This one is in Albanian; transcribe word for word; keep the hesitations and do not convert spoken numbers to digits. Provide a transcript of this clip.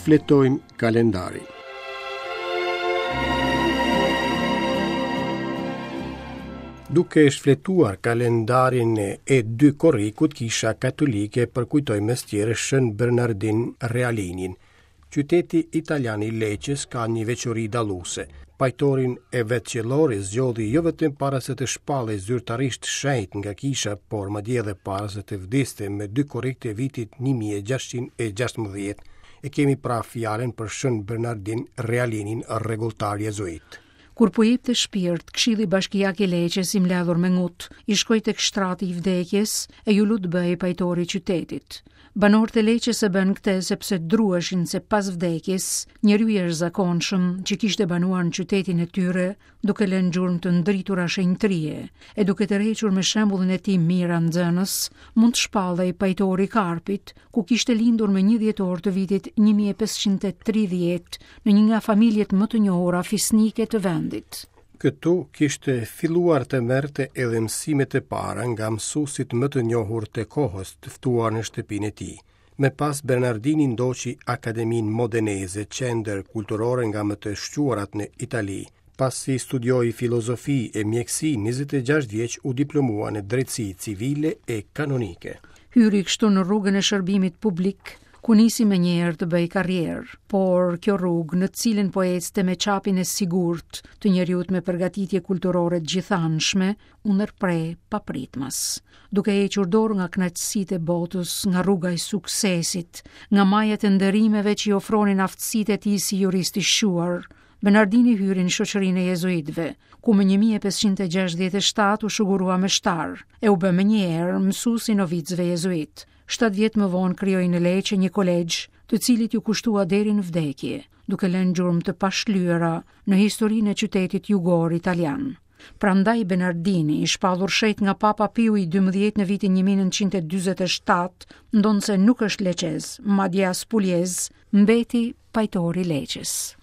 Shfletojmë kalendarin. Duke shfletuar kalendarin e dy korrikut, Kisha Katolike përkujtoi mes tjerë Shën Bernardin Realinin. Qyteti italian i Leçes ka një veçori dalluese. Pajtorin e vet qiellor e zgjodhi jo vetëm para se të shpallej zyrtarisht shenjt nga kisha, por madje edhe para se të vdiste me dy korrik të vitit një mijë e gjashtëqind e gjashtëmbëdhjetë. E kemi pra fjalën për Shën Bernardin Realinin, rregulltar jezuit. Kur po jepte shpirt, Këshilli Bashkiak i Leçes i mbledhur me ngut, i shkoi tek shtrati i vdekjes e ju lut bëhej pajtori i qytetit. Banorët e Leçes e bën këtë sepse druheshin se pas vdekjes, njeriu i jashtëzakonshëm që kishte banuar në qytetin e tyre, duke lënë gjurmë të ndritura shenjtërie e duke tërhequr me shembullin e tij mijëra nxënës, mund të shpallej pajtori i Karpit, ku kishte lindur me një dhjetor të vitit një mijë e pesëqind e tridhjetë në një nga familjet më të njohura fisnike të vendit. Këtu kishte filluar të merrte edhe mësimet e para nga mësuesit më të njohur të kohës, të ftuar në shtëpinë e tij. Më pas Bernardini ndoqi Akademinë Modeneze, qendër kulturore nga më të shquarat në Itali. Pasi studioi filozofi e mjekësi, njëzet e gjashtë vjeç u diplomua në drejtësi civile e kanonike. Hyri kështu në rrugën e shërbimit publik, ku nisi me njëherë të bëj karrierë, por kjo rrugë në të cilën po ecte me çapin e sigurt të njeriut me përgatitje kulturore të gjithanshme, u ndërpre papritmas, duke hequr dorë nga kënaqësitë e botës, nga rruga e suksesit, nga majat e nderimeve që i ofronin aftësitë e tij si jurist i shquar. Bernardini hyri në shoqërinë e jezuitëve, ku më një mijë e pesëqind e gjashtëdhjetë e shtatë u shugurua me shtar, e u bë menjëherë mësues i novicëve jezuit. Shtatë vjet më vonë krijoi në Leçe një kolegj, të cilit ju kushtua deri në vdekje, duke lënë gjurmë të pashlyera në historinë e qytetit jugor italian. Prandaj Bernardini, i shpallur shenjt nga Papa Piu i dymbëdhjetë në vitin një mijë e nëntëqind e dyzet e shtatë, ndonëse nuk është leçez, madje as puljez, mbeti pajtori i Leçes.